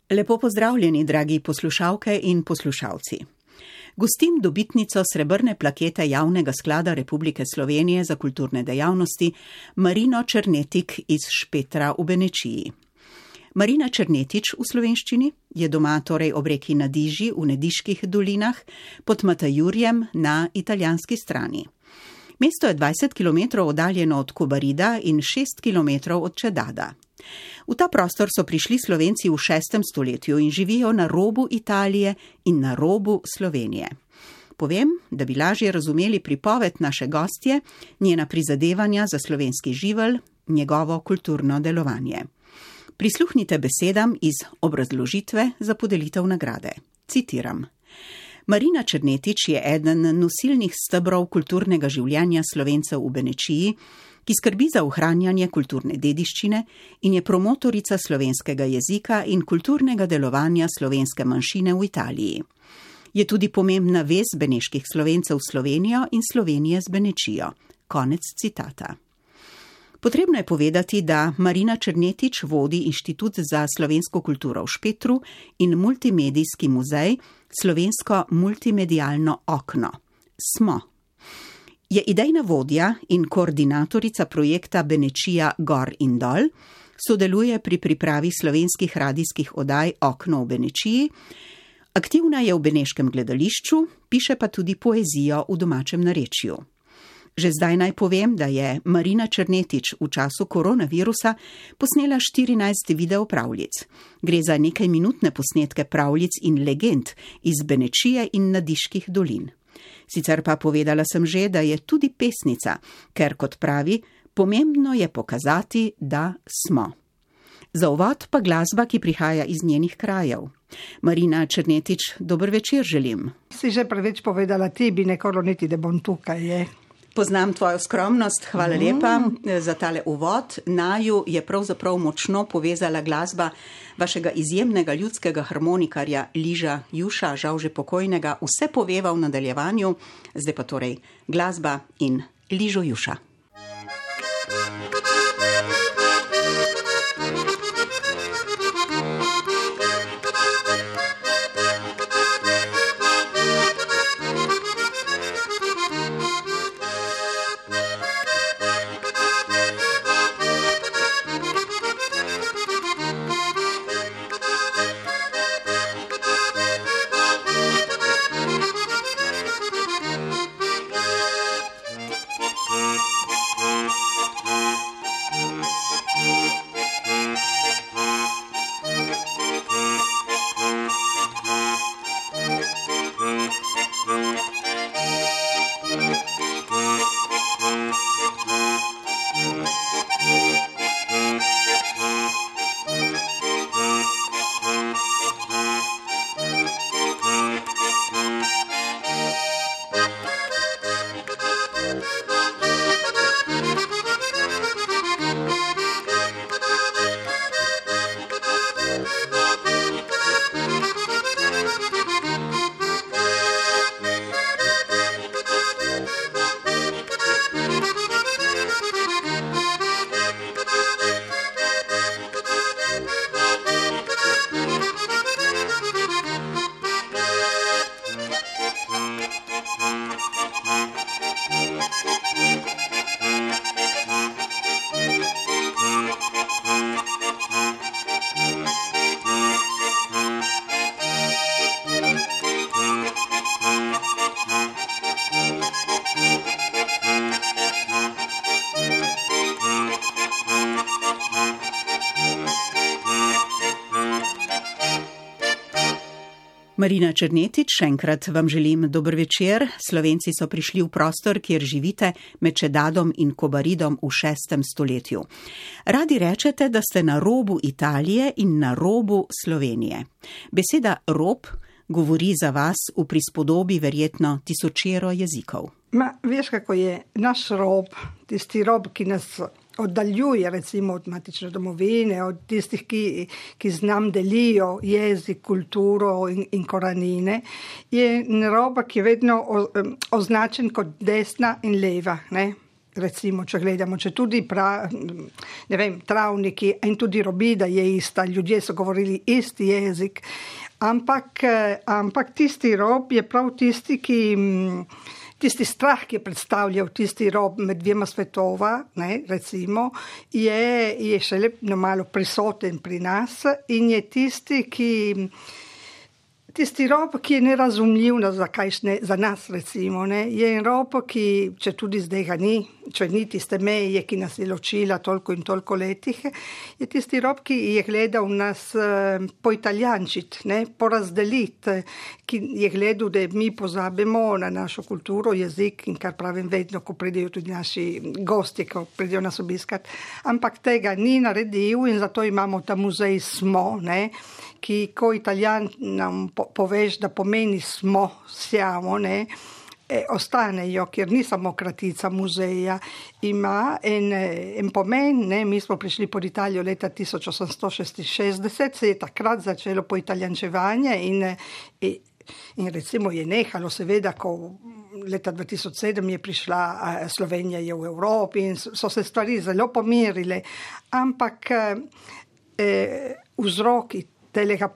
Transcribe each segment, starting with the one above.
Lepo pozdravljeni, dragi poslušalke in poslušalci. Gostim dobitnico srebrne plakete Javnega sklada Republike Slovenije za kulturne dejavnosti Marino Černetik iz Špetra v Benečiji. Marina Černetič v slovenščini je doma torej ob reki Nadiži v Nediških dolinah pod Matajurjem na italijanski strani. Mesto je 20 km oddaljeno od Kobarida in 6 km od Čedada. V ta prostor so prišli Slovenci v 6. stoletju in živijo na robu Italije in na robu Slovenije. Povem, da bi lažje razumeli pripoved naše gostje, njena prizadevanja za slovenski živelj, njegovo kulturno delovanje. Prisluhnite besedam iz obrazložitve za podelitev nagrade. Citiram. Marina Černetič je eden nosilnih stebrov kulturnega življenja Slovencev v Benečiji, ki skrbi za ohranjanje kulturne dediščine in je promotorica slovenskega jezika in kulturnega delovanja slovenske manjšine v Italiji. Je tudi pomembna vez beneških Slovencev s Slovenijo in Slovenije z Benečijo. Konec citata. Potrebno je povedati, da Marina Černetič vodi Inštitut za slovensko kulturo v Špetru in multimedijski muzej Slovensko multimedialno okno. Smo. Je idejna vodja in koordinatorica projekta Benečija Gor in Dol, sodeluje pri pripravi slovenskih radijskih oddaj Okno v Benečiji, aktivna je v beneškem gledališču, piše pa tudi poezijo v domačem narečju. Že zdaj naj povem, da je Marina Černetič v času koronavirusa posnela 14 videopravljic. Gre za nekajminutne posnetke pravljic in legend iz Benečije in Nadiških dolin. Sicer pa povedala sem že, da je tudi pesnica, ker, kot pravi, pomembno je pokazati, da smo. Za uvod pa glasba, ki prihaja iz njenih krajev. Marina Černetič, dober večer želim. Si že preveč povedala, ti bi nekolo niti, da bom tukaj, je. Poznam tvojo skromnost, hvala lepa za tale uvod. Naju je pravzaprav močno povezala glasba vašega izjemnega ljudskega harmonikarja Liža Juša, žal že pokojnega, vse poveva v nadaljevanju, zdaj pa torej glasba in Ližo Juša. Marina Černetič, še enkrat vam želim dober večer. Slovenci so prišli v prostor, kjer živite med Čedadom in Kobaridom v 6. stoletju. Radi rečete, da ste na robu Italije in na robu Slovenije. Beseda rob govori za vas v prispodobi verjetno tisočero jezikov. Veš, kako je naš rob, tisti rob, ki nas oddaljuje recimo od matične domovine, od tistih, ki z nam delijo jezik, kulturo in korenine, je rob, ki je vedno označen kot desna in leva, ne? recimo, če gledamo, če tudi travniki in tudi robida je ista, ljudje so govorili isti jezik, ampak tisti rob je prav tisti, tisti strah, ki je predstavljal tisti rob med dvema svetova, ne, recimo, je šele malo prisoten pri nas in je tisti rob, ki je nerazumljiv za nas, recimo, ne, je rob, ki, če tudi zdaj ga ni, če ni tiste meje, ki nas je ločila toliko in toliko letih, je tisti rob, ki je gledal nas poitalijančiti, ne, porazdeliti, ki je gledal, da mi pozabimo na našo kulturo, jezik in kar pravim vedno, ko pridejo tudi naši gosti, ko pridejo nas obiskati, ampak tega ni naredil in zato imamo ta muzej Smo, ne, ki ko Italijan nam poveš, da pomeni smo, siamo, ne, ostanejo, ker ni samo kratica muzeja, ima en pomen, ne, mi smo prišli pod Italijo leta 1866, se je takrat začelo poitalijančevanje in recimo je nehalo, seveda, ko leta 2007 je prišla Slovenija je v Evropi in so se stvari zelo pomirile, ampak vzroki telega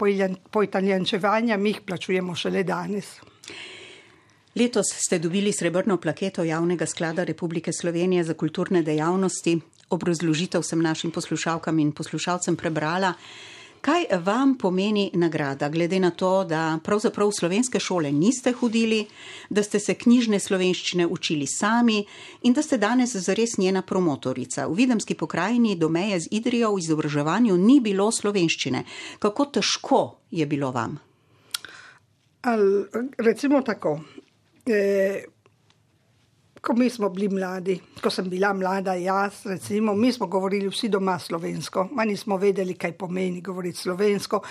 poitalijančevanja mi jih plačujemo šele danes. Letos ste dobili srebrno plaketo Javnega sklada Republike Slovenije za kulturne dejavnosti. Obrazložitev sem našim poslušalkam in poslušalcem prebrala. Kaj vam pomeni nagrada, glede na to, da pravzaprav v slovenske šole niste hodili, da ste se knjižne slovenščine učili sami in da ste danes zares njena promotorica? V Videmski pokrajini do meje z Idrijo v izobraževanju ni bilo slovenščine. Kako težko je bilo vam? Recimo tako, ko mi smo bili mladi, ko sem bila mlada jaz, recimo, mi smo govorili vsi doma slovensko, ma nismo vedeli, kaj pomeni govoriti slovensko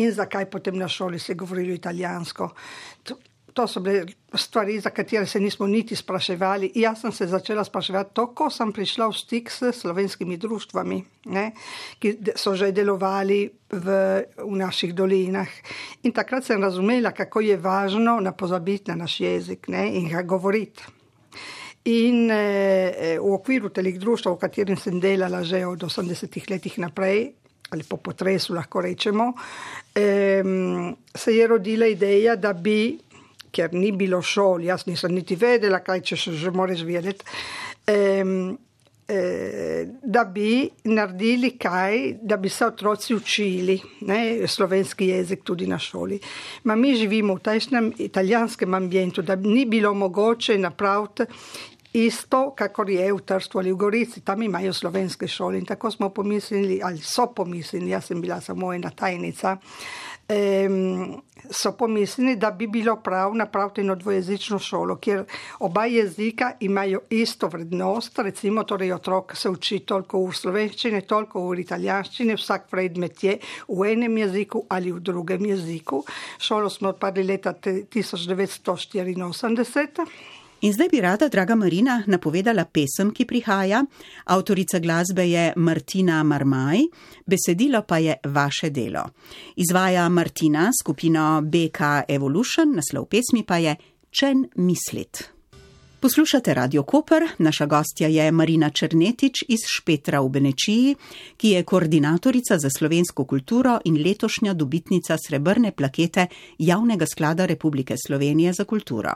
in zakaj potem na šoli se govorilo italijansko. To so bile stvari, za katere se nismo niti spraševali. Jaz sem se začela spraševati to, ko sem prišla v stik s slovenskimi društvami, ne, ki so že delovali v naših dolinah. In takrat sem razumela, kako je važno ne pozabiti na naš jezik, ne, in ga govoriti. In v okviru telih društva, v katerem sem delala že od 80-ih letih naprej, ali po potresu lahko rečemo, se je rodila ideja, da bi, ker ni bilo šol, jaz nisem niti vedela, kaj če še že moraš vedeti, da bi naredili kaj, da bi se otroci učili, ne, slovenski jezik tudi na šoli. Ma mi živimo v tajšnem italijanskem ambientu, da ni bilo mogoče napraviti isto, kakor je v Trstu ali v Gorici, tam imajo slovenske šole in tako smo pomislili, ali so pomislili, jaz sem bila samo ena tajnica, so pomislili, da bi bilo prav napraviti eno dvojezično šolo, kjer oba jezika imajo isto vrednost, recimo torej otrok se uči toliko v slovenščini, toliko v italijanščini, vsak predmet je v enem jeziku ali v drugem jeziku. Šolo smo odprli leta 1984. In zdaj bi rada, draga Marina, napovedala pesem, ki prihaja. Avtorica glasbe je Martina Marmaj, besedilo pa je vaše delo. Izvaja Martina skupino BK Evolution, naslov pesmi pa je Čen mislit. Poslušate Radio Koper, naša gostja je Marina Černetič iz Špetra v Benečiji, ki je koordinatorica za slovensko kulturo in letošnja dobitnica srebrne plakete Javnega sklada Republike Slovenije za kulturo.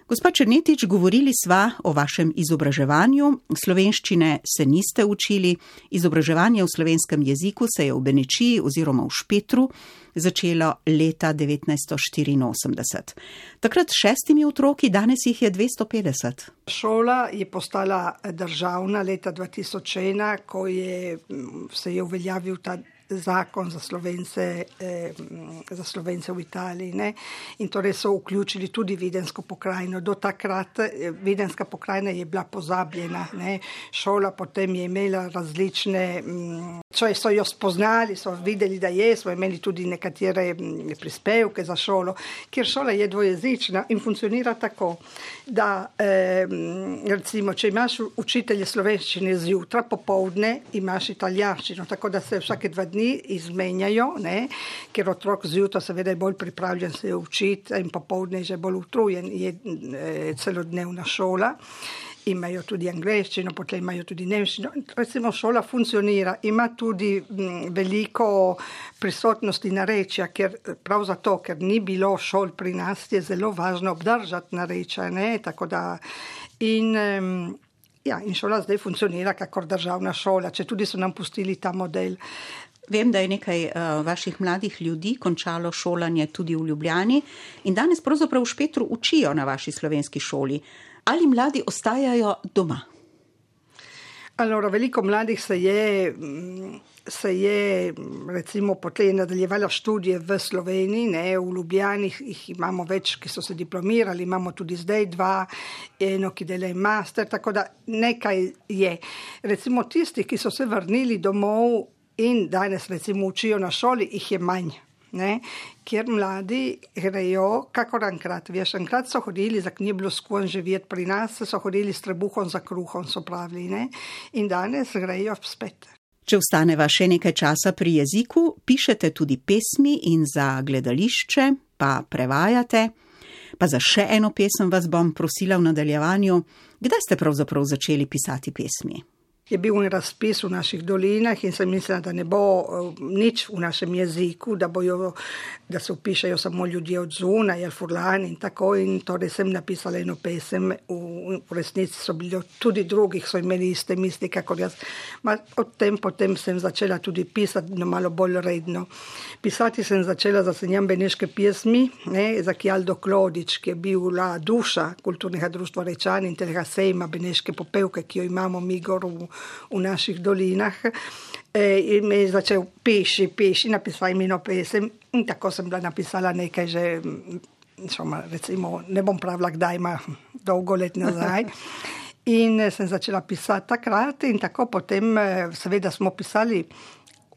Gospa Černetič, govorili sva o vašem izobraževanju, slovenščine se niste učili, izobraževanje v slovenskem jeziku se je v Benečiji oziroma v Špetru začelo leta 1984. Takrat s 6 otroki, danes jih je 250. Šola je postala državna leta 2001, ko se je uveljavil ta zakon za Slovence v Italiji, ne? In torej so vključili tudi Vidensko pokrajino. Do takrat Videnska pokrajina je bila pozabljena, ne? Šola potem je imela različne, so jo spoznali, so videli, da smo imeli tudi nekatere prispevke za šolo, kjer šola je dvojezična in funkcionira tako, da recimo, če imaš učitelje slovenščine zjutraj, popoldne imaš italijanščino, tako da se vsake 2 dni izmenjajo, ne, ker otrok zjutraj seveda je bolj pripravljen se učiti in popoldne je že bolj utrujen, je celodnevna šola. imajo tudi angleščino, potem imajo tudi nemščino. Recimo šola funkcionira, ima tudi veliko prisotnosti narečja, prav zato, ker ni bilo šol pri nas, je zelo važno obdržati narečja, ne, tako da in šola zdaj funkcionira kakor državna šola, če tudi so nam pustili ta model. Vem, da je nekaj vaših mladih ljudi končalo šolanje tudi v Ljubljani in danes pravzaprav v Špetru učijo na vaši slovenski šoli. Ali mladi ostajajo doma? Allora, veliko mladih se je recimo potem nadaljevala študije v Sloveniji, ne, v Ljubljani jih imamo več, ki so se diplomirali, imamo tudi zdaj 2, eno, ki dela master, tako da nekaj je. Recimo tisti, ki so se vrnili domov in danes recimo učijo na šoli, jih je manj. Ne, kjer mladi grejo kakor enkrat. Enkrat so hodili za knjiblo skon živjeti pri nas, so hodili s trebuhom za kruhom, so pravili, ne, in danes grejo spet. Če ostaneva še nekaj časa pri jeziku, pišete tudi pesmi in za gledališče, pa prevajate. Pa za še eno pesem vas bom prosila v nadaljevanju. Kdaj ste pravzaprav začeli pisati pesmi? Je bil razpis v naših dolinah in sem mislila, da ne bo nič v našem jeziku, da se upišajo samo ljudje od zunaj, Furlani in tako, in torej sem napisala eno pesem, v resnici so bili tudi drugih, so imeli iste misli, kakor jaz. Potem sem začela tudi pisati, no malo bolj redno. Pisati sem začela za Senjam Beneške pjesmi, ne, za Kjaldo Klodič, ki je bila duša kulturnega društva Rečani in telega sejma Beneške popevke, ki jo imamo mi gor v naših dolinah, in me je začel piši, napisal mi eno pesem in tako sem bila napisala nekaj že, recimo, ne bom pravila kdaj, ima dolgo let nazaj. In sem začela pisati takrat in tako potem seveda smo pisali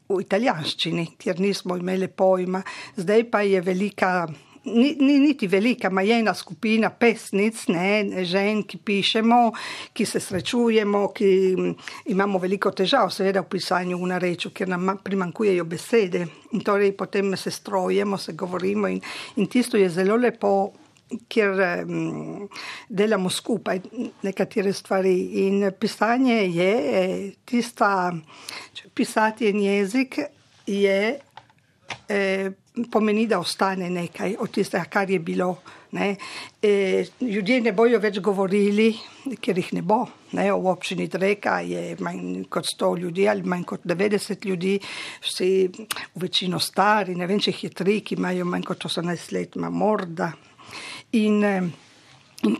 v italijanščini, kjer nismo imeli pojma. Zdaj pa je velika, ni niti velika, ma je ena skupina pesnic, ne, žen, ki pišemo, ki se srečujemo, ki imamo veliko težav seveda v pisanju v narečju, ker nam primanjkujejo besede in torej potem se strojemo, se govorimo in tisto je zelo lepo, ker delamo skupaj nekatere stvari in pisanje je tista, pisati en jezik je pomeni, da ostane nekaj od tistega, kar je bilo. Ne. Ljudje ne bojo več govorili, ker jih ne bo. Ne. V občini Dreka je manj kot 100 ljudi ali manj kot 90 ljudi, vsi v večino stari, ne vem, če jih je 3, ki imajo manj kot 18 let, ima morda. In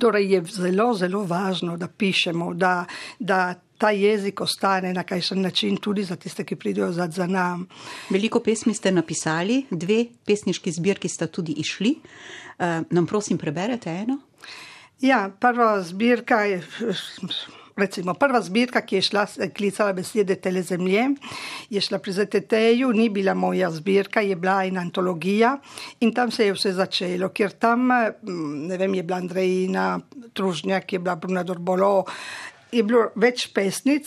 torej je zelo, zelo važno, da pišemo, da ta jezik ostane na kakšen način tudi za tiste, ki pridejo za nam. Veliko pesmi ste napisali, 2 pesniški zbirki sta tudi išli. Nam prosim preberete eno? Ja, prva zbirka, ki je šla, klicala besede Tele zemlje, je šla pri ZTT-ju, ni bila moja zbirka, je bila ena antologija in tam se je vse začelo, ker tam, ne vem, je bila Andrejina Tružnjak, je bila Bruna Dorbolo, je bilo več pesnic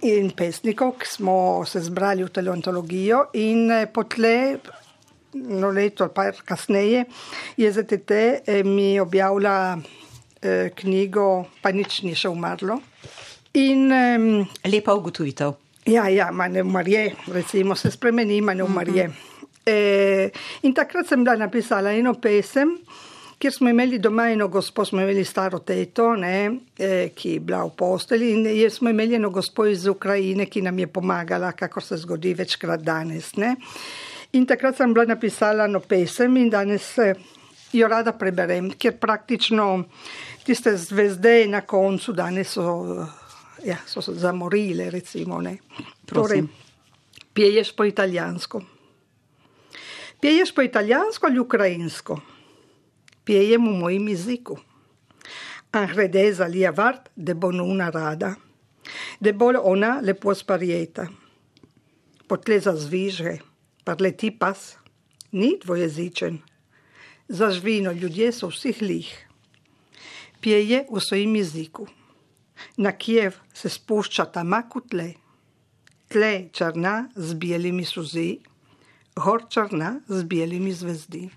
in pesnikov, ki smo se zbrali v telo antologijo in potlej, leto pa kasneje, je ZTT mi objavila knjigo, pa nič ni še umrlo. In lepa ugotovitev. Ja, ne umrje, recimo se spremeni, ne umrje. In takrat sem bila napisala eno pesem, kjer smo imeli doma eno gospo, smo imeli staro teto, ne, ki je bila v posteli in smo imeli eno gospo iz Ukrajine, ki nam je pomagala, kakor se zgodi večkrat danes. Ne. In takrat sem bila napisala eno pesem in danes jo rada preberem, ker praktično tiste zvezde na koncu danes so se zamorile, recimo. Ne. Torej, pjeješ po italijansko. Pjeješ po italijansko ali ukrajinsko? Pjejem v mojem jeziku. Angrede zalija vart, de bo una rada, de bo ona lepo sparjeta. Potle zazvižge, parleti pas, ni dvojezičen. Zažvino, ljudje so vsih lih. Pjeje v svojem jeziku. Na Kijev se spušča tamaku tle. Tle črna z bijelimi suzi, gor črna z bijelimi zvezdi.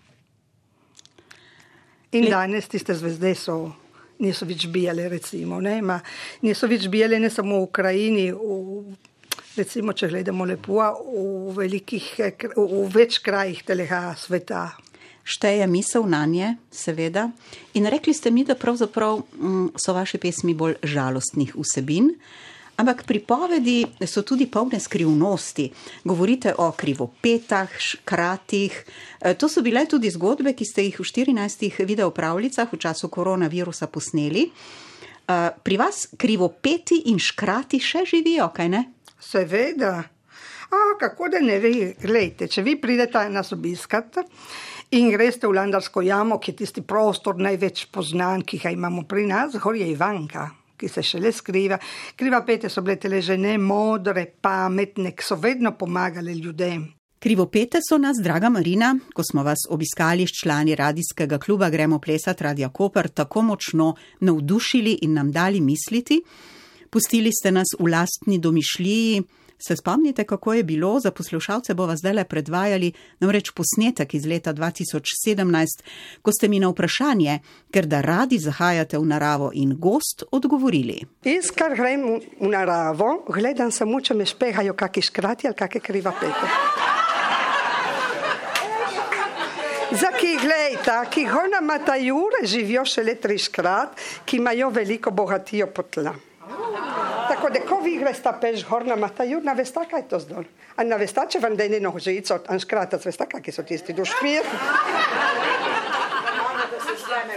In danes tiste zvezde so niso več bijale, recimo, ne, ma niso več bijale ne samo v Ukrajini, recimo, če gledamo lepo, v več krajih telega sveta. Šteje misel na nje, seveda. In rekli ste mi, da pravzaprav so vaše pesmi bolj žalostnih vsebin, ampak pripovedi so tudi polne skrivnosti. Govorite o krivopetah, škratih. To so bile tudi zgodbe, ki ste jih v 14 videopravljicah v času koronavirusa posneli. Pri vas krivopeti in škrati še živijo, kaj ne? Seveda. Kako da ne ve, glejte, če vi pridete nas obiskat in greste v Landarsko jamo, ki je tisti prostor največ poznan, ki ga imamo pri nas, gor je Ivanka, ki se šele skriva. Krivopete so bile tele žene modre, pametne, ki so vedno pomagale ljudem. Krivopete so nas, draga Marina, ko smo vas obiskali s člani radijskega kluba Gremo plesat Radia Koper, tako močno navdušili in nam dali misliti. Pustili ste nas v lastni domišljiji. Se spomnite, kako je bilo? Za poslušalce bova zdajle predvajali namreč posnetek iz leta 2017, ko ste mi na vprašanje, ker da radi zahajate v naravo in gost, odgovorili. Jaz, kar grem v naravo, gledam samo, če me špehajo kaki škrati ali kake krivopete. Zaki, glejta, ki gona Matajure živijo šele 3 škrat, ki imajo veliko bogatijo potla. Tako da, ko vi gresta peš gor na Matajur, navesta, kaj to zdol? A navesta, če vam dejne nožico, an škratac, vesta, kaki so tisti dušpir?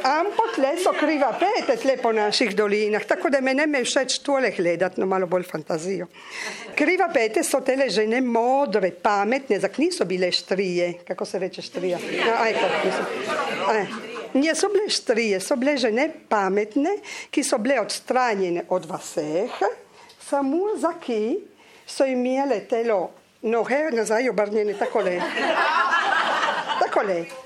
Ampak tle so krivopete tle po naših dolinah, tako da me ne me všeč tole gledat, no malo bolj fantazijo. Krivopete so tele žene modre, pametne, zak niso bile štrije, kako se reče štrija? Niso bile štrije, so bile žene pametne, ki so bile odstranjene od vseh, samo zaki so imele telo noge nazaj obrnjene takole.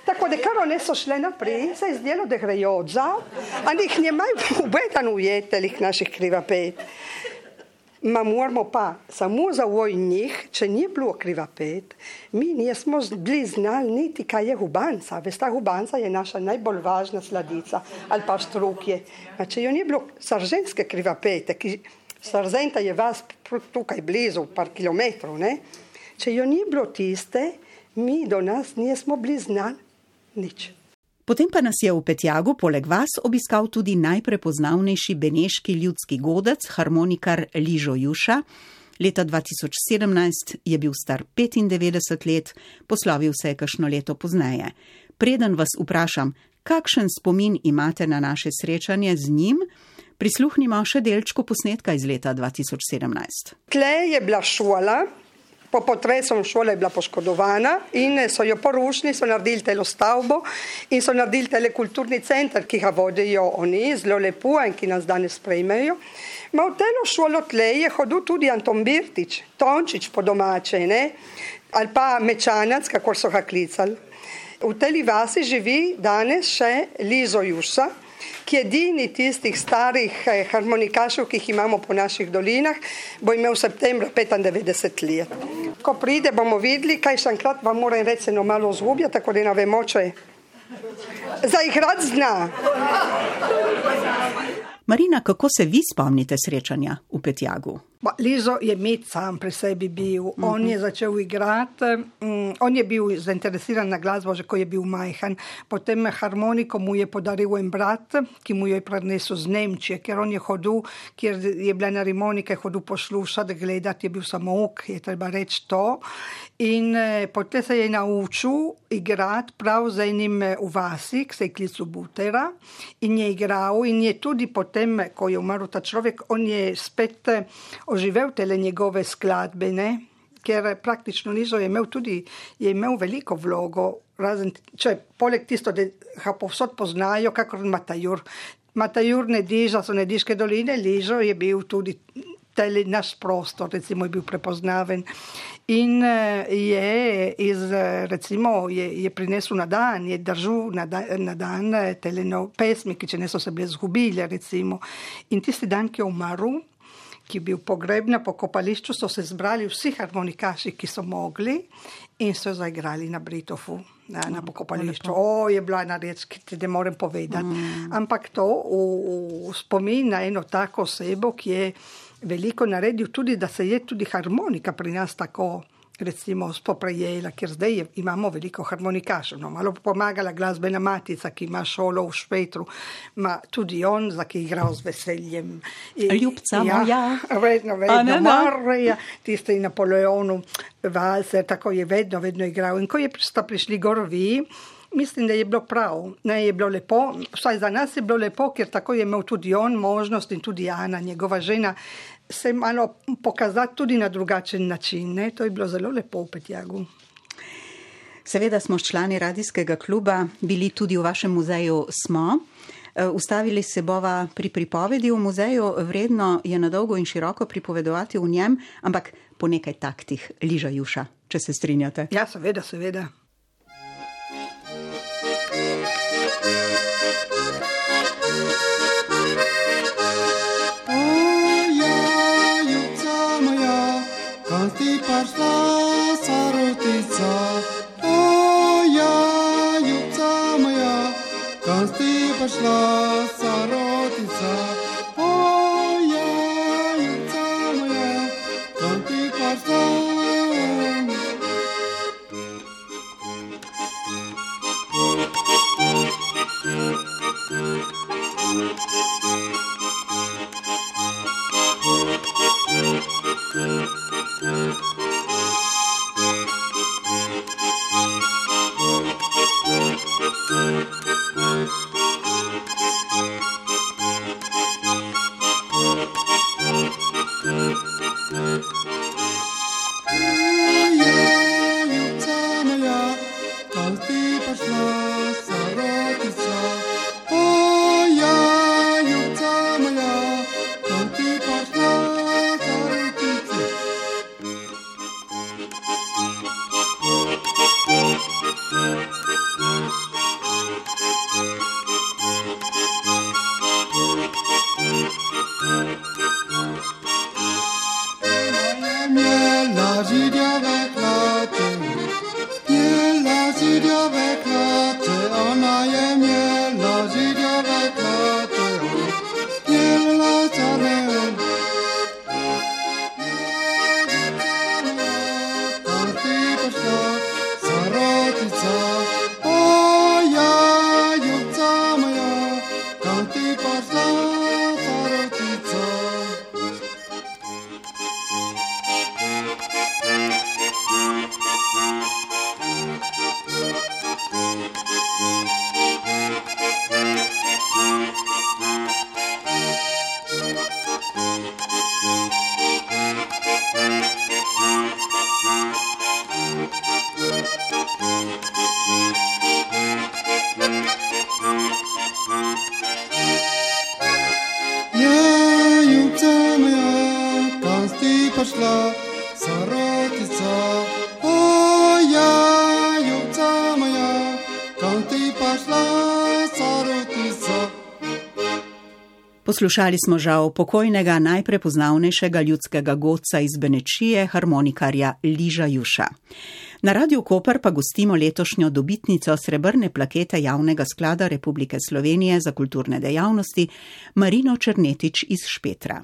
Tako da, kar one so šle naprej, se je zdelo, da grejo odzad, a njih nemajo ubedan ujetelih naših krivopet. Ma moramo pa samo za njih, če nije bilo krivopet, mi nismo bili znali niti kaj je hubanca. Vesta, hubanca je naša najbolj važna sladica, ali pa štrukje. Če jo nije bilo sarženske krivopete, ki Sarzenta je vas tukaj blizu, par kilometrov, ne? Če jo nije bilo tiste, mi do nas nismo bili znali nič. Potem pa nas je v Petjagu poleg vas obiskal tudi najprepoznavnejši beneški ljudski godec, harmonikar Ližo Juša. Leta 2017 je bil star 95 let, poslovil se je kakšno leto pozneje. Preden vas vprašam, kakšen spomin imate na naše srečanje z njim, prisluhnimo še delčku posnetka iz leta 2017. Tle je bila šola. Po potresu šola je bila poškodovana in so jo porušili, so naredili telo stavbo in so naredili tele kulturni center, ki ga vodijo oni, zelo lepo in ki nas danes sprejmejo. Ma v telo šolo tle je hodil tudi Anton Birtič, Tončič po domače, ne? Ali pa Mečanac, kako so ga klicali. V teli vasi živi danes še Lizo Juša, ki je edini tistih starih harmonikašev, ki jih imamo po naših dolinah, bo imel v septembru 95 let. Ko pride, bomo videli, kaj še enkrat vam moram reči, no malo zgubja, tako da ne vemo, če zaigrat zna. Marina, kako se vi spomnite srečanja v Petjagu? Lizo je med sam pri sebi bil. On je začel igrati, on je bil zainteresiran na glasbo, že ko je bil majhen. Potem harmoniko mu je podaril en brat, ki mu jo je prinesel z Nemčije, ker on je hodil, kjer je bila na harmonike, hodil poslušati, gledati, je bil samouk, je treba reči to. In potem se je naučil igrati prav z enim v vasi, ki se je klical Butera, in je igral in je tudi potem, ko je umrl ta človek, on je spet oživel tele njegove skladbe, ne? Ker praktično Lizo je imel veliko vlogo, razen, če poleg tisto, da ga povsod poznajo, kakor Matajur. Matajur Nediža so Nediške doline, Lizo je bil tudi tele naš prostor, recimo je bil prepoznaven. In je prinesel na dan, je držal na dan tele pesmi, ki če ne so se bile zgubile, recimo. In tisti dan, ki je umrl, ki je bil pogreb na pokopališču, so se zbrali vsi harmonikaši, ki so mogli in so zaigrali na Britofu, na pokopališču. Je bila ena reč, ki ti ne morem povedati. Ampak to v spomin na eno tako osebo, ki je veliko naredil tudi, da se je tudi harmonika pri nas tako recimo spoprejela, ker zdaj imamo veliko harmonikašev. Malo pomagala glasbena matica, ki ima šolo v Špetru, ima tudi on, ki je igral z veseljem. Ljubca moja. Vedno, Marija, tisti Napoleonu, valser, tako je vedno igral. In ko sta prišli gorovi, mislim, da je bilo prav, je bilo lepo, vsaj za nas je bilo lepo, ker tako je imel tudi on možnost in tudi Ana, njegova žena, se malo pokazati tudi na drugačen način. To je bilo zelo lepo v Petjagu. Seveda smo člani radijskega kluba, bili tudi v vašem muzeju Smo. Ustavili se bova pri pripovedi v muzeju, vredno je na dolgo in široko pripovedovati v njem, ampak po nekaj taktih Liža Juša, če se strinjate. Ja, seveda. Пошла соротица, юбца моя, как ты пошла. Пошла соротица, юбца моя, kam ti пошла соротица. Poslušali smo žal pokojnega najprepoznavnejšega ljudskega godca iz Benečije, harmonikarja Liža Juša. Na Radiu Koper pa gostimo letošnjo dobitnico srebrne plakete Javnega sklada Republike Slovenije za kulturne dejavnosti, Marino Černetič iz Špetra.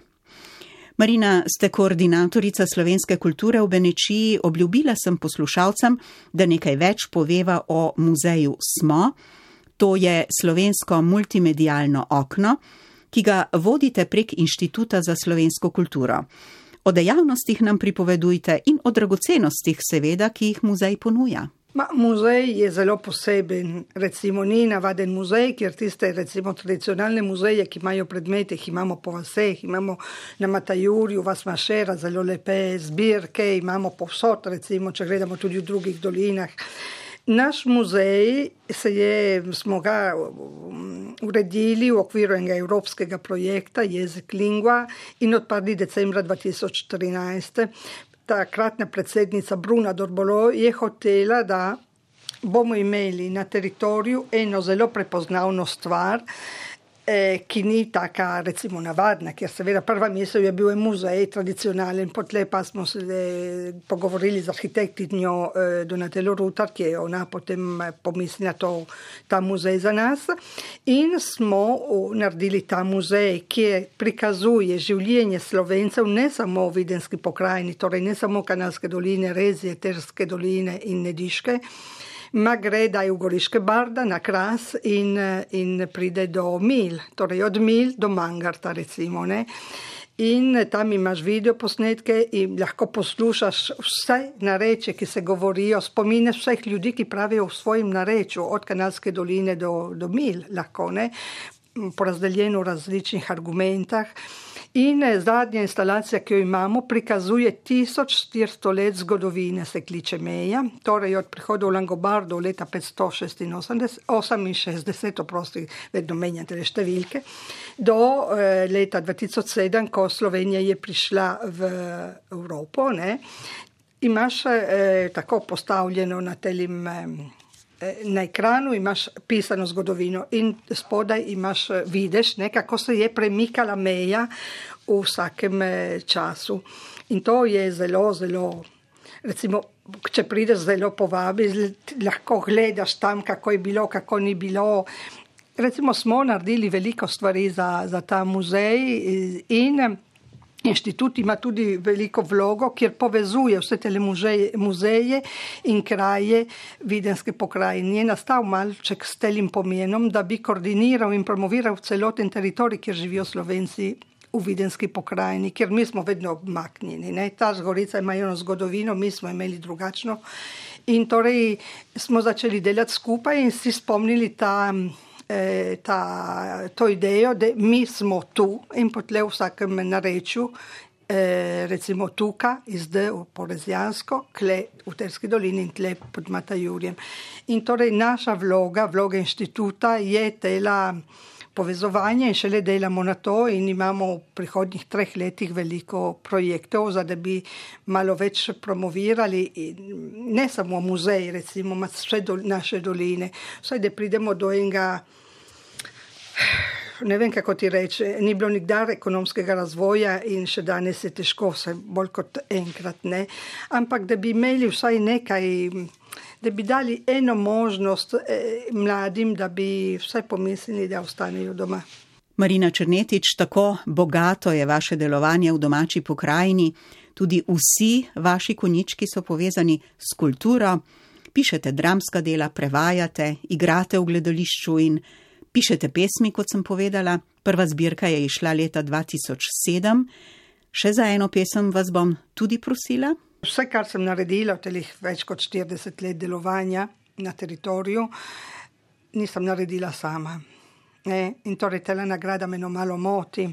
Marina, ste koordinatorica slovenske kulture v Benečiji. Obljubila sem poslušalcem, da nekaj več poveva o muzeju Smo. To je slovensko multimedialno okno, ki ga vodite prek Inštituta za slovensko kulturo. O dejavnostih nam pripovedujte in o dragocenostih seveda, ki jih muzej ponuja. Muzej je zelo poseben, recimo ni navaden muzej, ker tiste recimo tradicionalne muzeje, ki imajo predmete, jih imamo po vseh, imamo na Matajurju, Vas Mašera, zelo lepe zbirke, imamo povsod, recimo, če gledamo tudi v drugih dolinah. Naš muzej smo ga uredili v okviru enega evropskega projekta Jezik lingua in odprli decembra 2014. Takratna predsednica Bruna Dorbolo je hotela, da bomo imeli na teritoriju eno zelo prepoznavno stvar ki ni taka, recimo, navadna, ker seveda prva misel je bil muzej tradicionalen, potlej pa smo se pogovorili z arhitektinjo Donatelo Rutar, ki je ona potem pomislila ta muzej za nas in smo naredili ta muzej, ki prikazuje življenje Slovencev ne samo v Videnski pokrajini, torej ne samo Kanalske doline, Rezije, Terske doline in Nediške, ma gre da je v Goriške Barda na Kras in pride do Mil, torej od Mil do Mangarta recimo, ne. In tam imaš videoposnetke in lahko poslušaš vse narečje, ki se govorijo, spomine vseh ljudi, ki pravijo v svojem narečju, od Kanalske doline do Mil lahko, ne, porazdeljeno v različnih argumentah. In zadnja instalacija, ki jo imamo, prikazuje 1400 let zgodovine, se kliče Meja, torej od prihoda v Langobardo leta 568, oprosti, vedno menjate številke, do leta 2007, ko Slovenija je prišla v Evropo, ne. Imaš tako postavljeno na telim na ekranu imaš pisano zgodovino in spodaj vidiš, kako se je premikala meja v vsakem času. In to je zelo, zelo, recimo, če prideš zelo povabi, lahko gledaš tam, kako je bilo, kako ni bilo. Recimo smo naredili veliko stvari za ta muzej in inštitut ima tudi veliko vlogo, kjer povezuje vse te muzeje in kraje Videnske pokrajine. Je nastal malček s telim pomenom, da bi koordiniral in promoviral celoten teritorij, kjer živijo Slovenci v Videnski pokrajini, kjer mi smo vedno obmaknjeni. Ne? Ta Zgorica ima eno zgodovino, mi smo imeli drugačno. In torej smo začeli delati skupaj in si spomnili to idejo, da mi smo tu in potle v vsakem narečju, recimo tuka, izde v Porezjansko, kle v Terski dolini in tle pod Matajurjem. In torej naša vloga inštituta je tela povezovanja in šele delamo na to in imamo v prihodnjih 3 letih veliko projektov, da bi malo več promovirali ne samo muzej, recimo vse naše doline, vsaj da pridemo do enega, ne vem kako ti reče, ni bilo nikdar ekonomskega razvoja in še danes je težko, vse bolj kot enkrat, ne, ampak da bi imeli vsaj nekaj, da bi dali eno možnost mladim, da bi vsaj pomislili, da ostanejo doma. Marina Černetič, tako bogato je vaše delovanje v domači pokrajini, tudi vsi vaši konjički so povezani s kulturo, pišete dramska dela, prevajate, igrate v gledališču in pišete pesmi, kot sem povedala. Prva zbirka je izšla leta 2007. Še za eno pesem vas bom tudi prosila. Vse, kar sem naredila v telih več kot 40 let delovanja na teritoriju, nisem naredila sama. In torej tela nagrada me malo moti.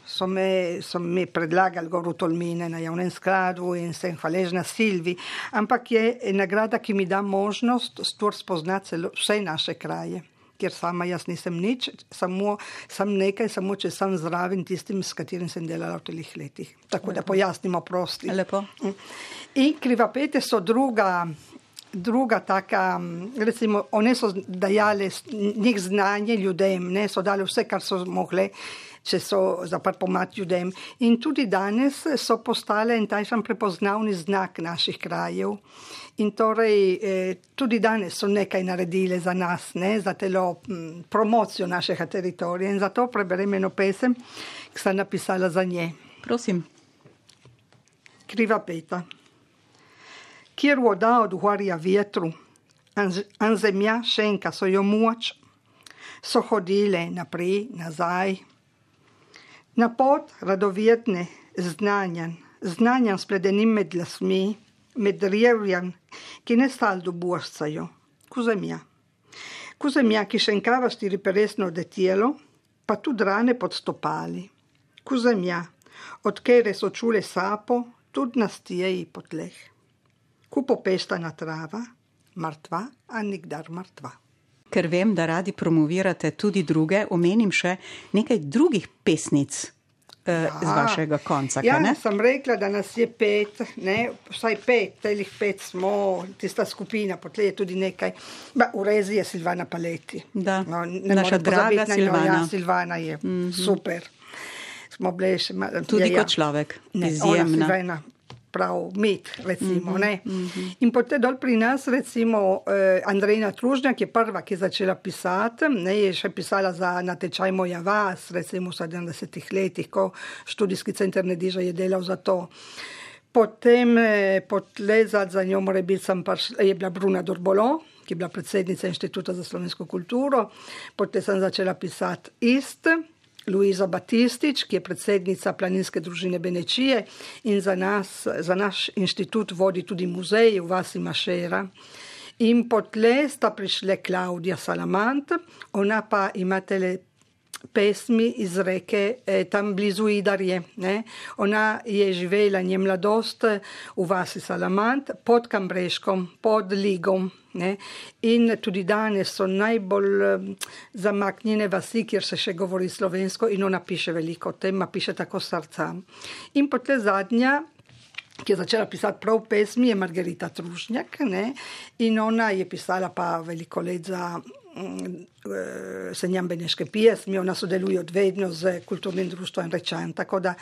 So me predlagali gor v Tolmine na javnem skladu in sem hvaležna Silvi, ampak je nagrada, ki mi da možnost spoznati vse naše kraje, kjer sama jaz nisem nič, samo če sem zraven tistim, s katerim sem delala v telih letih. Tako da pojasnimo prosti. Lepo. In Krivapete so druga taka, recimo, one so dajale njih znanje ljudem, ne, so dali vse, kar so mogli, če so zaprt pomati ljudem. In tudi danes so postale en tajšan prepoznavni znak naših krajev. In torej tudi danes so nekaj naredile za nas, ne, za telo promocijo našega teritorija. In zato preberem eno pesem, ki sem napisala za nje. Prosim. Krivapeta. Kjer voda odgovarja vjetru, an zemlja šenka so jo moč, so hodile naprej, nazaj. Na pot radovjetne znanjan spledenim med lasmi, med rjevjan, ki ne staldo bošcajo, ku zemlja. Ku zemlja, ki šenkava štiriperesno detjelo, pa tudi rane pod stopali. Ku zemlja, od kere so čule sapo, tudi na stijeji po tleh. Ku popestana trava, mrtva, a nikdar mrtva. Ker vem, da radi promovirate tudi druge, omenim še nekaj drugih pesnic z vašega konca, ja, ne? Ja, sem rekla, da nas je 5, ne, vsaj 5, telih 5 smo, tista skupina, potlej je tudi nekaj. V rezi je Silvana Paleti. Da, no, naša draga Silvana. Ja, Silvana je super. Smo bili še tudi kot človek, izjemna. Ona Silvana. Prav mit, recimo, ne. In potem dol pri nas, recimo, Andrejna Tružnjak je prva, ki je začela pisati, ne, je še pisala za natečaj Moja vas, recimo v 70 letih, ko študijski center Nediža je delal za to. Potem potlezati za njo mora biti je bila Bruna Dorbolo, ki je bila predsednica Inštituta za slovensko kulturo, potem sem začela pisati Luiza Batistič, ki je predsednica Planinske družine Benečije in za naš inštitut vodi tudi muzej v vasi Mašera. In potlej sta prišle Klaudija Salamant, ona pa ima tele pesmi iz reke tam blizu Idarje. Ne? Ona je živela nje mladost v vasi Salamant pod Kambreškom, pod Ligom. Ne? In tudi danes so najbolj zamaknjene vasi, kjer se še govori slovensko in ona piše veliko o tem, piše tako srca. In potem zadnja, ki je začela pisati prav pesmi, je Margarita Tružnjak, ne? In ona je pisala pa veliko let za Senjam beneške pjesmi, ona sodeluje odvedno z kulturnim društvom Rečan, tako da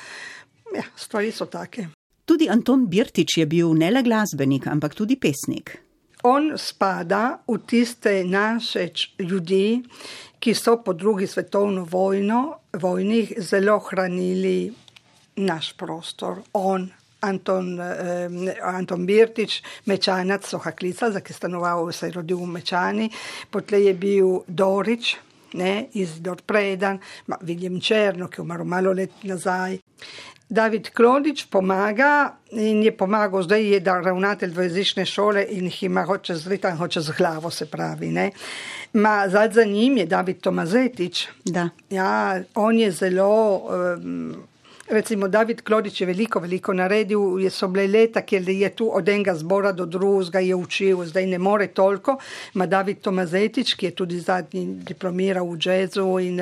ja, stvari so take. Tudi Anton Birtič je bil ne le glasbenik, ampak tudi pesnik. On spada v tiste naše ljudi, ki so po drugi svetovni vojni zelo hranili naš prostor. Anton Birtič, Mečanac, Sohaklica, za ki stanoval, se je rodil v Mečani, potlej je bil Dorič, ne, Izidor Predan, Viljem Černo, ki je umrl malo let nazaj. David Klodič pomaga in je pomagal, zdaj je ravnatelj dvojezične šole in jih ima hoče zritan, hoče z glavo, se pravi. Ne. Za njim je David Tomazetič. Da. Ja, on je zelo... Recimo, David Klodič je veliko naredil, so bile leta, kjer je tu od enega zbora do drugega je učil, zdaj ne more toliko, David Tomazetič, ki je tudi zadnji diplomiral v džezu in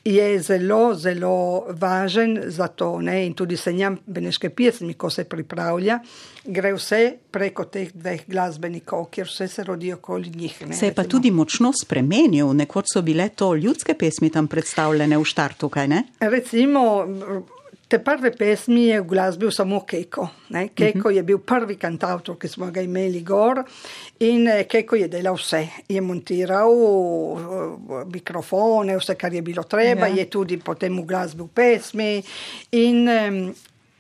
je zelo, zelo važen za to, ne, in tudi Senjam beneške pjesmi, ko se pripravlja, gre vse preko teh dveh glasbenikov, kjer vse se rodi okoli njih. Ne, se je pa tudi močno spremenil, nekoč so bile to ljudske pesmi tam predstavljene v štartu, kaj ne? Recimo, te prve pesmi je v glasbi samo Keko. Ne? Keko je bil prvi kantautor, ki smo ga imeli gor in Keko je delal vse. Je montiral mikrofone, vse, kar je bilo treba, je tudi potem v glasbi v pesmi in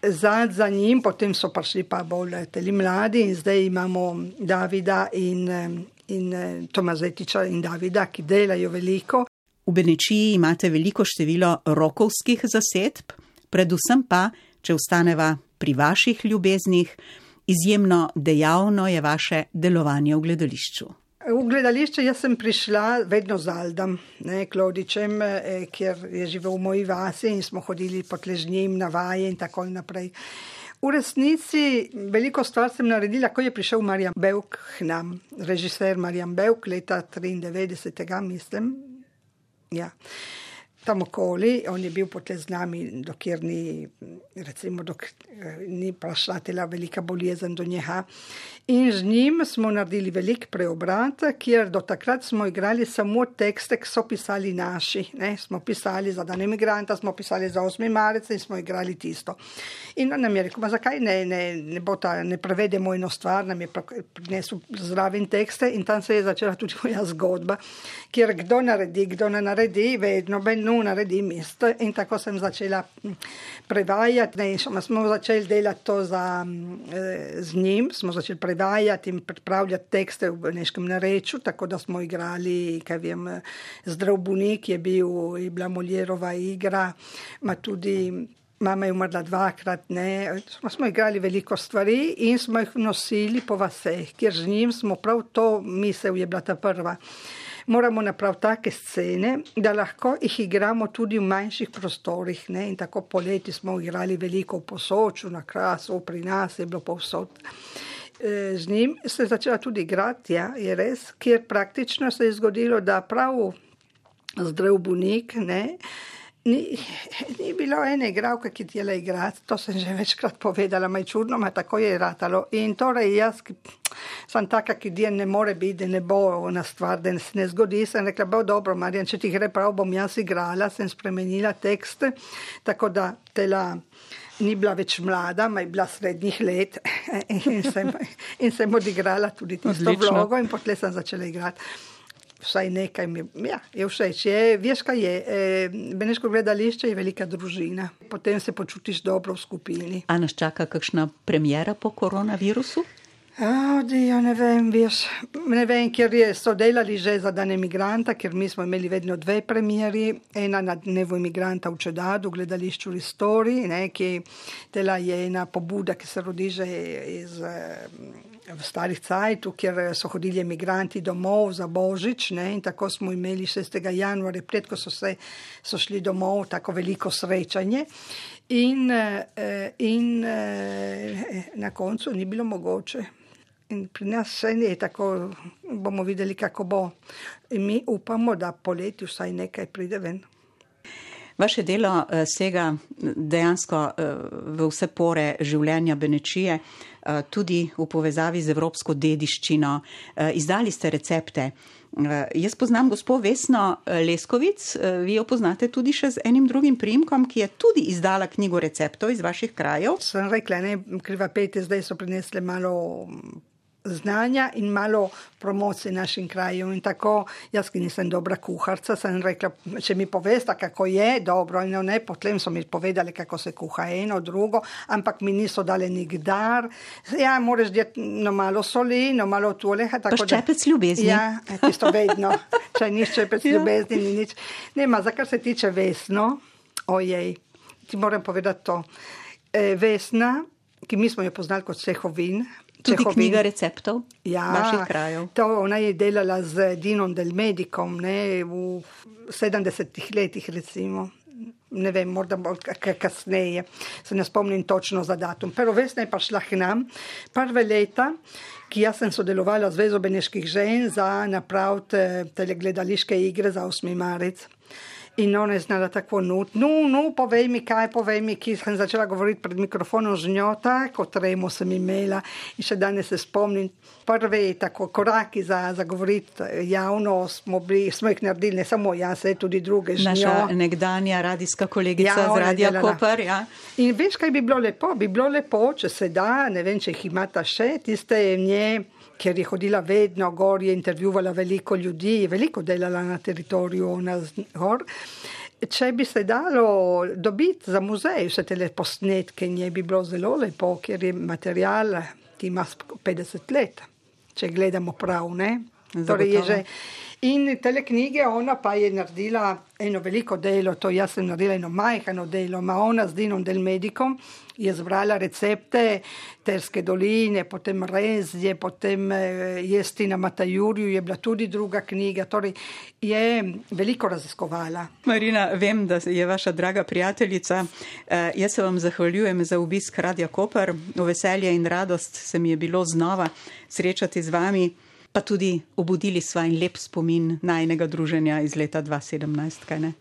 za njim potem so prišli pa bolj teli mladi in zdaj imamo Davida in Tomazetiča in Davida, ki delajo veliko. V Benečiji imate veliko število rokovskih zasedb, predvsem pa, če ostaneva pri vaših ljubeznih, izjemno dejavno je vaše delovanje v gledališču. V gledališče jaz sem prišla vedno z Aldom, ne, Klodičem, kjer je živel v moji vasi in smo hodili po tležnjim na vaje in tako naprej. V resnici veliko stvar sem naredila, ko je prišel Marjan Bevk k nam, režiser Marjan Bevk, leta 93. mislim. Ja. Tam okoli, on je bil potem z nami, dokler ni prišla tela velika bolezen do njega. In z njim smo naredili velik preobrat, kjer do takrat smo igrali samo tekste, ki so pisali naši. Ne? Smo pisali za dan emigranta, smo pisali za 8. marec in smo igrali tisto. In on nam je rekel, zakaj ne prevedemo eno stvar, nam je prinesel zraven tekste in tam se je začela tudi moja zgodba, kjer kdo ne naredi, vedno naredi mesto in tako sem začela prevajati. Smo začeli delati to z njim, smo začeli prevajati in pripravljati tekste v beneškem narečju, tako da smo igrali, kaj vem, Zdrav bolnik je bila Moljerova igra, tudi mama je umrla 2-krat, ne. Smo igrali veliko stvari in smo jih nosili po vaseh, kjer z njim smo prav to misel je bila ta prva. Moramo napraviti take scene, da lahko jih igramo tudi v manjših prostorih. Ne? In tako poleti smo igrali veliko v Posočju, na Krasu, pri nas je bilo povsod. Z njim se je začela tudi igrati, ja, je res, kjer praktično se je zgodilo, da prav Zdrav bolnik, ne, Ni bilo ene igralke, ki htjela igrati, to sem že večkrat povedala, ma je čudno, ma tako je ratalo. In torej jaz sem taka, ki djen ne more biti, da ne bo na stvar, da se ne zgodi. Sem rekla, bo dobro, Marjan, če ti gre prav, bom jaz igrala, sem spremenila tekst, tako da tela ni bila več mlada, ma je bila srednjih let in sem odigrala tudi tisto vlogo in potlej sem začela igrati. Vsaj nekaj je všeč. Veš, kaj je? Beneško gledališče je velika družina. Potem se počutiš dobro v skupini. A nas čaka kakšna premiera po koronavirusu? Ne vem, ker so delali že za dan emigranta, ker mi smo imeli vedno 2 premieri. Ena na dnevu emigranta v Čedadu, v gledališču Ristori, ki tela je ena pobuda, ki se rodi že v starih cajtu, kjer so hodili emigranti domov za Božič, in tako smo imeli 6. januarja, pred ko so šli domov, tako veliko srečanje. In na koncu ni bilo mogoče. In pri nas še ne, tako bomo videli, kako bo. In mi upamo, da poleti vsaj nekaj pride ven. Vaše delo sega dejansko v vse pore življenja Benečije, tudi v povezavi z evropsko dediščino. Izdali ste recepte. Jaz poznam gospo Vesno Leskovic, vi jo poznate tudi še z enim drugim priimkom, ki je tudi izdala knjigo receptov iz vaših krajev. Sem rekla, kriva pete, zdaj so prinesle malo znanja in malo promocije našim krajem. In tako, jaz ki nisem dobra kuharca, sem rekla, če mi povesta, kako je, dobro, in ne, potem so mi povedali, kako se kuha eno, drugo, ampak mi niso dali nikdar. Ja, moraš dati malo soli, malo tuleha. Pa ščepec ljubezni. Ja, tisto vedno. Če ni ščepec ljubezni, ni nič. Nema, za kar se tiče Vesno, ojej, ti moram povedati to. Vesna, ki mi smo jo poznali kot Cehovin, tudi knjiga receptov vaših krajev. To ona je delala z Dinom Del Medicom, v 70 letih recimo. Ne vem, morda bolj kasneje. Se ne spomnim točno za datum. Pero Vesna je prišla k nam prve leta, ki jaz sem sodelovala z Zvezo beneških žen za napraviti telegledališke igre za 8. marec. In ona je znala tako povej mi, ki sem začela govoriti pred mikrofonom z njo, tako tremo sem imela in še danes se spomnim. Prve tako koraki za govoriti javno smo jih naredili, ne samo jaz, tudi druge z njo. Naša nekdanja radijska kolegica z Radija Koper, ja. In veš, kaj bi bilo lepo? Bi bilo lepo, če se da, ne vem, če jih imata še, tiste nje, ker je hodila vedno gor, je intervjuvala veliko ljudi, veliko delala na teritoriju gor. Če bi se dalo dobiti za muzej vse te posnetke, nje bi bilo zelo lepo, ker je material, ki ima 50 let, če gledamo prav, ne? Torej je že. In tele knjige, ona pa je naredila eno veliko delo, to jaz sem naredila eno majhano delo, ma ona z Dinom Del Medicom je zbrala recepte Terske doline, potem Rezje, potem Jestina Matajurju, je bila tudi druga knjiga, torej je veliko raziskovala. Marina, vem, da je vaša draga prijateljica. Jaz se vam zahvaljujem za obisk Radija Koper. V veselje in radost se mi je bilo znova srečati z vami, pa tudi obudili sva in lep spomin najnega druženja iz leta 2017, kaj ne?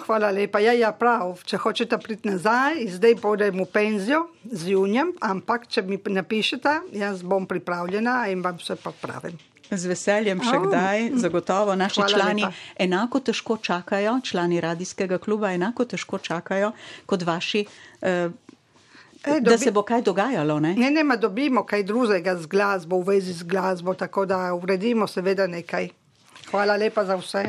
Hvala lepa. Ja, prav. Če hočete priti nazaj, zdaj podem v penzijo z junjem, ampak če mi napišete, jaz bom pripravljena in vam vse popravim. Z veseljem še kdaj, zagotovo. Naši člani enako težko čakajo, člani radijskega kluba enako težko čakajo kot vaši, da se bo kaj dogajalo, ne? Ne, dobimo kaj drugega z glasbo, v vezi z glasbo, tako da uredimo seveda nekaj. Hvala lepa za vse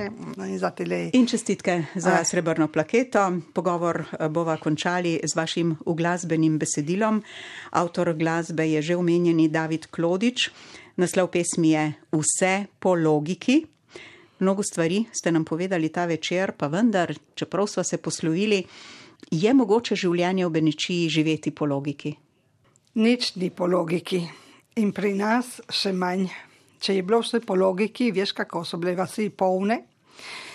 in za tele. In čestitke za srebrno plaketo. Pogovor bova končali z vašim uglasbenim besedilom. Avtor glasbe je že omenjeni David Klodič. Naslov pesmi je Vse po logiki. Mnogo stvari ste nam povedali ta večer, pa vendar, čeprav sva se poslovili, je mogoče življenje v Benečiji živeti po logiki? Nič ni po logiki. In pri nas še manj. Če je bilo vse po logiki, veš, kako so bile vasi polne.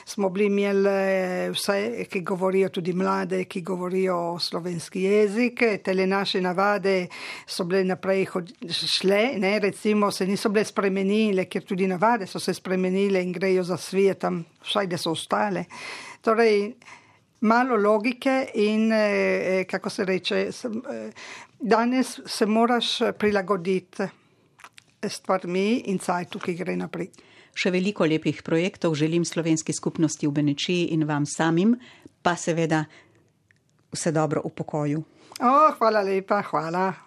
Smo bili imeli vse, ki govorijo tudi mlade, ki govorijo slovenski jezik. Tele naše navade so bile naprej šle, ne, recimo se niso bile spremenile, ker tudi navade so se spremenile in grejo za svijetom, vsaj da so ostale. Torej, malo logike in, kako se reče, danes se moraš prilagoditi stvarmi in cajtu, ki gre naprej. Še veliko lepih projektov želim slovenski skupnosti v Benečiji in vam samim, pa seveda vse dobro v pokoju. Hvala lepa, hvala.